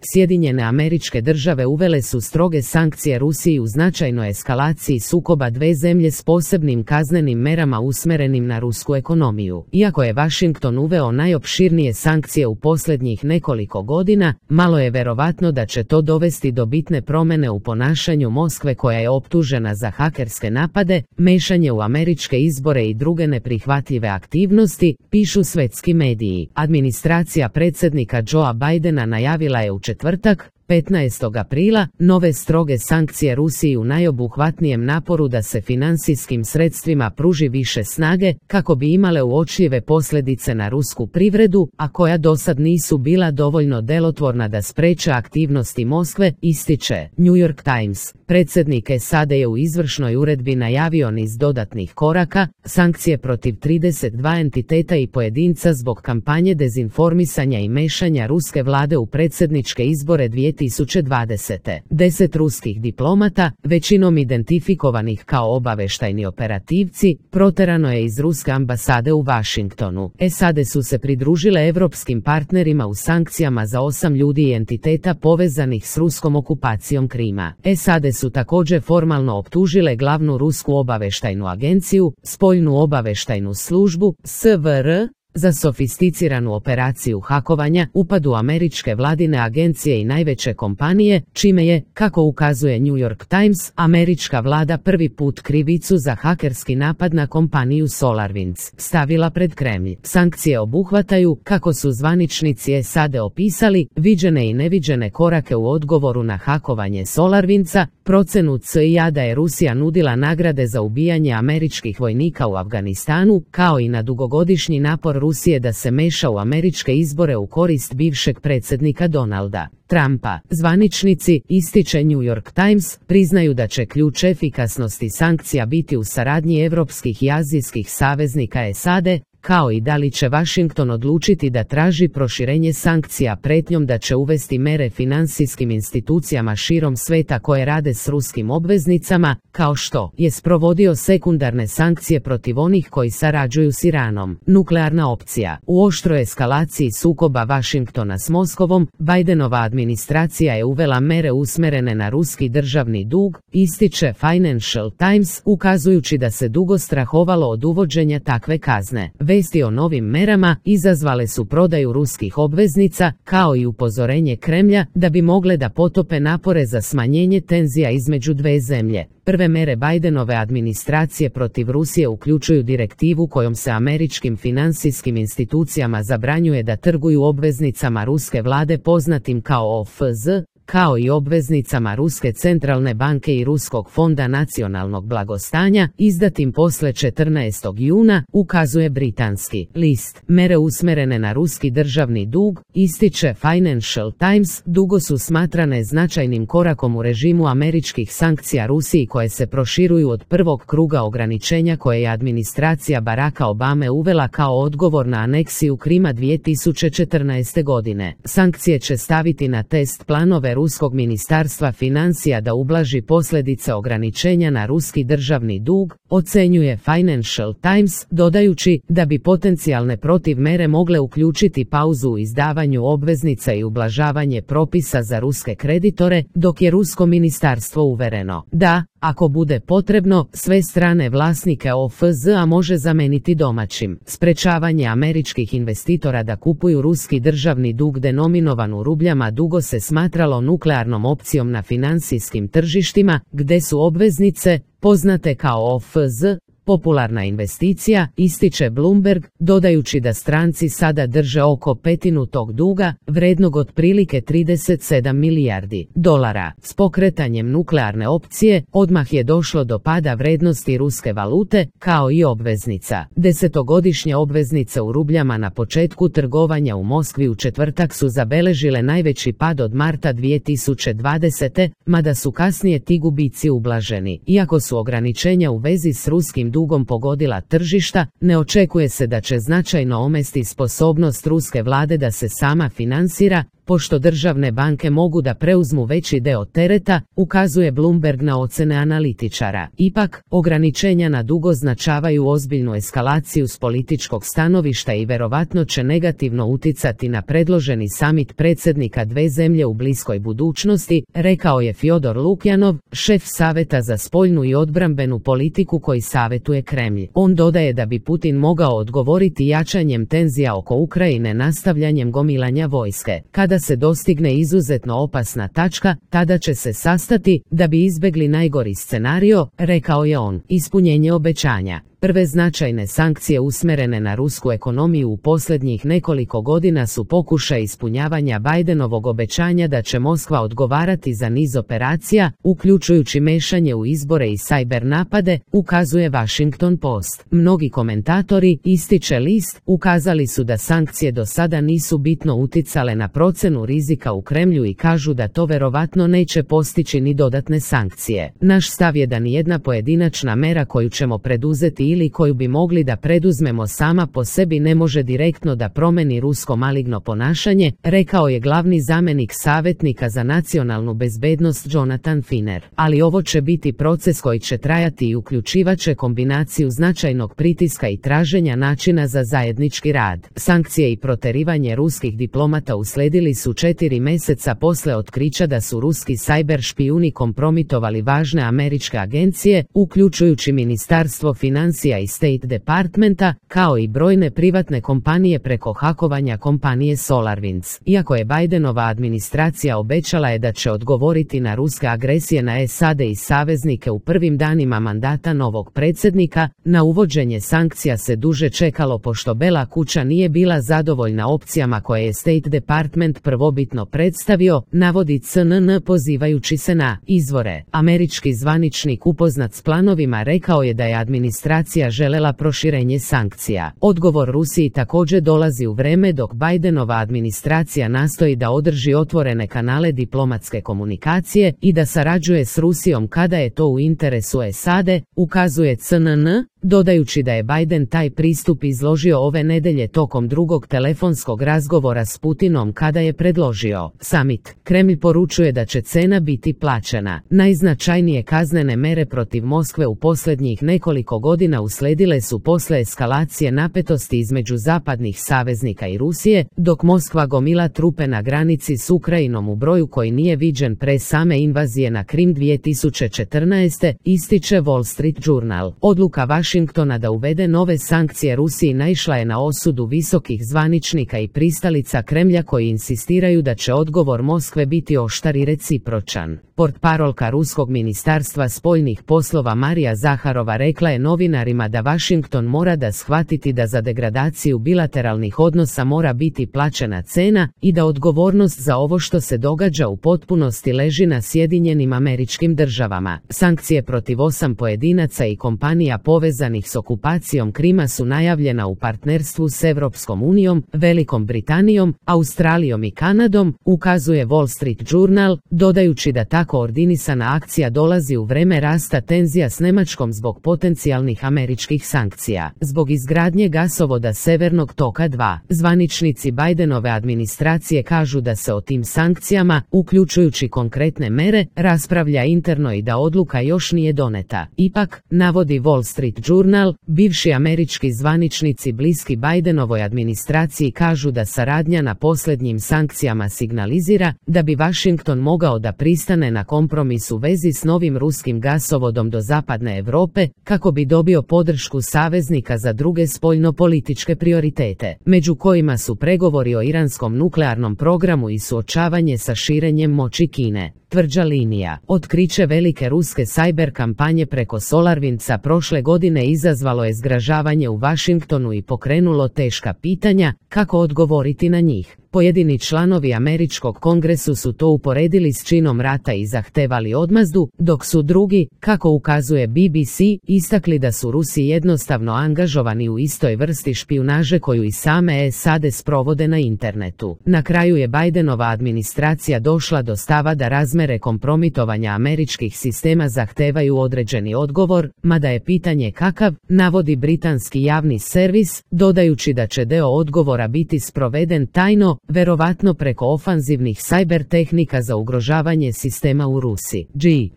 Sjedinjene Američke Države uvele su stroge sankcije Rusiji u značajnoj eskalaciji sukoba dve zemlje s posebnim kaznenim merama usmjerenim na rusku ekonomiju. Iako je Washington uveo najopširnije sankcije u posljednjih nekoliko godina, malo je verovatno da će to dovesti do bitne promjene u ponašanju Moskve, koja je optužena za hakerske napade, mešanje u američke izbore i druge neprihvatljive aktivnosti, pišu svetski mediji. Administracija predsjednika Joea Bidena najavila je u četvrtak, 15. aprila, nove stroge sankcije Rusiji u najobuhvatnijem naporu da se financijskim sredstvima pruži više snage, kako bi imale uočljive posljedice na rusku privredu, a koja dosad nisu bila dovoljno delotvorna da spreče aktivnosti Moskve, ističe New York Times. Predsjednik SAD je u izvršnoj uredbi najavio niz dodatnih koraka, sankcije protiv 32 entiteta i pojedinca zbog kampanje dezinformisanja i mešanja ruske vlade u predsjedničke izbore 2020. 10 ruskih diplomata, većinom identifikovanih kao obavještajni operativci, proterano je iz ruske ambasade u Washingtonu. SAD su se pridružile evropskim partnerima u sankcijama za 8 ljudi i entiteta povezanih s ruskom okupacijom Krima. SAD su također formalno optužile glavnu rusku obavještajnu agenciju, spoljnu obavještajnu službu, SVR, za sofisticiranu operaciju hakovanja, upad u američke vladine agencije i najveće kompanije, čime je, kako ukazuje New York Times, američka vlada prvi put krivicu za hakerski napad na kompaniju SolarWinds stavila pred Kremlj. Sankcije obuhvataju, kako su zvaničnici SAD opisali, viđene i neviđene korake u odgovoru na hakovanje SolarWindsa, procenu CIA da je Rusija nudila nagrade za ubijanje američkih vojnika u Afganistanu, kao i na dugogodišnji napor Rusije da se meša u američke izbore u korist bivšeg predsjednika Donalda Trumpa. Zvaničnici, ističe New York Times, priznaju da će ključ efikasnosti sankcija biti u saradnji evropskih i azijskih saveznika SAD, kao i da li će Washington odlučiti da traži proširenje sankcija prijetnjom da će uvesti mere financijskim institucijama širom sveta koje rade s ruskim obveznicama, kao što je sprovodio sekundarne sankcije protiv onih koji sarađuju s Iranom. Nuklearna opcija. U oštroj eskalaciji sukoba Washingtona s Moskovom, Bidenova administracija je uvela mere usmjerene na ruski državni dug, ističe Financial Times, ukazujući da se dugo strahovalo od uvođenja takve kazne. Vesti o novim merama izazvale su prodaju ruskih obveznica, kao i upozorenje Kremlja da bi mogle da potope napore za smanjenje tenzija između dve zemlje. Prve mere Bidenove administracije protiv Rusije uključuju direktivu kojom se američkim financijskim institucijama zabranjuje da trguju obveznicama ruske vlade poznatim kao OFZ, kao i obveznicama Ruske centralne banke i Ruskog fonda nacionalnog blagostanja, izdatim posle 14. juna, ukazuje britanski list. Mere usmjerene na ruski državni dug, ističe Financial Times, dugo su smatrane značajnim korakom u režimu američkih sankcija Rusiji koje se proširuju od prvog kruga ograničenja koje je administracija Baracka Obame uvela kao odgovor na aneksiju Krima 2014. godine. Sankcije će staviti na test planove Ruskog ministarstva financija da ublaži posljedice ograničenja na ruski državni dug, ocenjuje Financial Times, dodajući da bi potencijalne protivmere mogle uključiti pauzu u izdavanju obveznica i ublažavanje propisa za ruske kreditore, dok je rusko ministarstvo uvereno da, ako bude potrebno, sve strane vlasnike OFZ-a može zameniti domaćim. Sprečavanje američkih investitora da kupuju ruski državni dug denominovan u rubljama dugo se smatralo nuklearnom opcijom na financijskim tržištima, gde su obveznice, poznate kao OFZ, popularna investicija, ističe Bloomberg, dodajući da stranci sada drže oko petinu tog duga, vrednog otprilike 37 milijardi dolara. S pokretanjem nuklearne opcije, odmah je došlo do pada vrednosti ruske valute, kao i obveznica. Desetogodišnje obveznice u rubljama na početku trgovanja u Moskvi u četvrtak su zabeležile najveći pad od marta 2020. Mada su kasnije ti gubici ublaženi. Iako su ograničenja u vezi s ruskim dugom pogodila tržišta, ne očekuje se da će značajno omesti sposobnost ruske vlade da se sama finansira, pošto državne banke mogu da preuzmu veći deo tereta, ukazuje Bloomberg na ocene analitičara. Ipak, ograničenja na dugo označavaju ozbiljnu eskalaciju s političkog stanovišta i verovatno će negativno uticati na predloženi samit predsjednika dve zemlje u bliskoj budućnosti, rekao je Fjodor Lukjanov, šef Saveta za spoljnu i odbrambenu politiku koji savjetuje Kremlj. On dodaje da bi Putin mogao odgovoriti jačanjem tenzija oko Ukrajine nastavljanjem gomilanja vojske. Kada se dostigne izuzetno opasna tačka, tada će se sastati da bi izbjegli najgori scenario, rekao je on. Ispunjenje obećanja. Prve značajne sankcije usmjerene na rusku ekonomiju u posljednjih nekoliko godina su pokušaj ispunjavanja Bidenovog obećanja da će Moskva odgovarati za niz operacija, uključujući mešanje u izbore i sajber napade, ukazuje Washington Post. Mnogi komentatori, ističe list, ukazali su da sankcije do sada nisu bitno uticale na procenu rizika u Kremlju i kažu da to verovatno neće postići ni dodatne sankcije. Naš stav je da nijedna pojedinačna mera koju ćemo preduzeti ili koju bi mogli da preduzmemo sama po sebi ne može direktno da promeni rusko maligno ponašanje, rekao je glavni zamjenik savjetnika za nacionalnu bezbednost Jonathan Finer. Ali ovo će biti proces koji će trajati i uključivaće kombinaciju značajnog pritiska i traženja načina za zajednički rad. Sankcije i proterivanje ruskih diplomata usledili su 4 mjeseca posle otkrića da su ruski sajber špijuni kompromitovali važne američke agencije, uključujući Ministarstvo financija i State Departmenta, kao i brojne privatne kompanije preko hakovanja kompanije SolarWinds. Iako je Bidenova administracija obećala je da će odgovoriti na ruske agresije na SAD i saveznike u prvim danima mandata novog predsjednika, na uvođenje sankcija se duže čekalo pošto Bela kuća nije bila zadovoljna opcijama koje je State Department prvobitno predstavio, navodi CNN pozivajući se na izvore. Američki zvaničnik upoznat s planovima rekao je da je administracija želela proširenje sankcija. Odgovor Rusiji također dolazi u vreme dok Bidenova administracija nastoji da održi otvorene kanale diplomatske komunikacije i da sarađuje s Rusijom kada je to u interesu SAD, ukazuje CNN, dodajući da je Biden taj pristup izložio ove nedelje tokom drugog telefonskog razgovora s Putinom kada je predložio samit. Kremlj poručuje da će cena biti plaćena. Najznačajnije kaznene mere protiv Moskve u posljednjih nekoliko godina usledile su posle eskalacije napetosti između zapadnih saveznika i Rusije, dok Moskva gomila trupe na granici s Ukrajinom u broju koji nije viđen pre same invazije na Krim 2014. ističe Wall Street Journal. Odluka Washingtona da uvede nove sankcije Rusiji naišla je na osudu visokih zvaničnika i pristalica Kremlja koji insistiraju da će odgovor Moskve biti oštar i recipročan. Portparolka Ruskog ministarstva spoljnih poslova Marija Zaharova rekla je novinarima da Washington mora da shvatiti da za degradaciju bilateralnih odnosa mora biti plaćena cena i da odgovornost za ovo što se događa u potpunosti leži na Sjedinjenim Američkim Državama. Sankcije protiv 8 pojedinaca i kompanija povezanih s okupacijom Krima su najavljena u partnerstvu s Europskom unijom, Velikom Britanijom, Australijom i Kanadom, ukazuje Wall Street Journal, dodajući da ta koordinisana akcija dolazi u vreme rasta tenzija s Njemačkom zbog potencijalnih američkih sankcija. Zbog izgradnje gasovoda Severnog toka 2, zvaničnici Bidenove administracije kažu da se o tim sankcijama, uključujući konkretne mere, raspravlja interno i da odluka još nije doneta. Ipak, navodi Wall Street Journal, bivši američki zvaničnici bliski Bidenovoj administraciji kažu da saradnja na posljednjim sankcijama signalizira da bi Washington mogao da pristane na kompromis u vezi s novim ruskim gasovodom do zapadne Europe, kako bi dobio podršku saveznika za druge spoljno-političke prioritete, među kojima su pregovori o iranskom nuklearnom programu i suočavanje sa širenjem moći Kine. Tvrđa linija. Otkriće velike ruske sajber kampanje preko SolarWindsa prošle godine izazvalo je zgražavanje u Washingtonu i pokrenulo teška pitanja kako odgovoriti na njih. Pojedini članovi američkog kongresu su to uporedili s činom rata i zahtevali odmazdu, dok su drugi, kako ukazuje BBC, istakli da su Rusi jednostavno angažovani u istoj vrsti špijunaže koju i same SAD sprovode na internetu. Na kraju je Bidenova administracija došla do stava da razmatra razmere kompromitovanja američkih sistema zahtevaju određeni odgovor, mada je pitanje kakav, navodi britanski javni servis, dodajući da će deo odgovora biti sproveden tajno, verovatno preko ofanzivnih sajber tehnika za ugrožavanje sistema u Rusiji.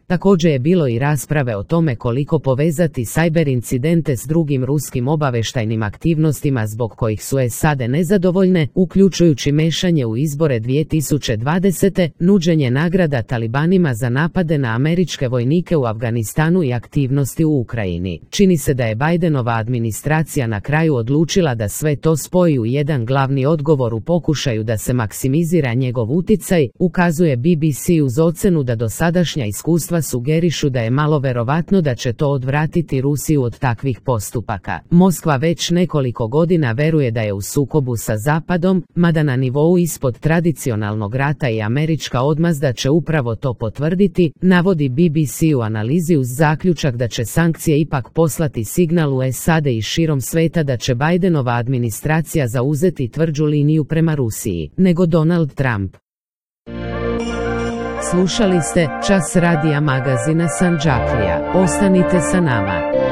Također je bilo i rasprave o tome koliko povezati sajber incidente s drugim ruskim obavještajnim aktivnostima zbog kojih su SAD nezadovoljne, uključujući mešanje u izbore 2020. nuđenje nagrada talibanima za napade na američke vojnike u Afganistanu i aktivnosti u Ukrajini. Čini se da je Bidenova administracija na kraju odlučila da sve to spoji u jedan glavni odgovor u pokušaju da se maksimizira njegov utjecaj, ukazuje BBC uz ocenu da dosadašnja iskustva sugerišu da je malo verovatno da će to odvratiti Rusiju od takvih postupaka. Moskva već nekoliko godina veruje da je u sukobu sa Zapadom, mada na nivou ispod tradicionalnog rata i američka odmazda će upravo to potvrditi, navodi BBC u analizi uz zaključak da će sankcije ipak poslati signal u SAD i širom sveta da će Bidenova administracija zauzeti tvrđu liniju prema Rusiji, nego Donald Trump. Slušali ste Čas radija magazina Sandžaklija. Ostanite sa nama.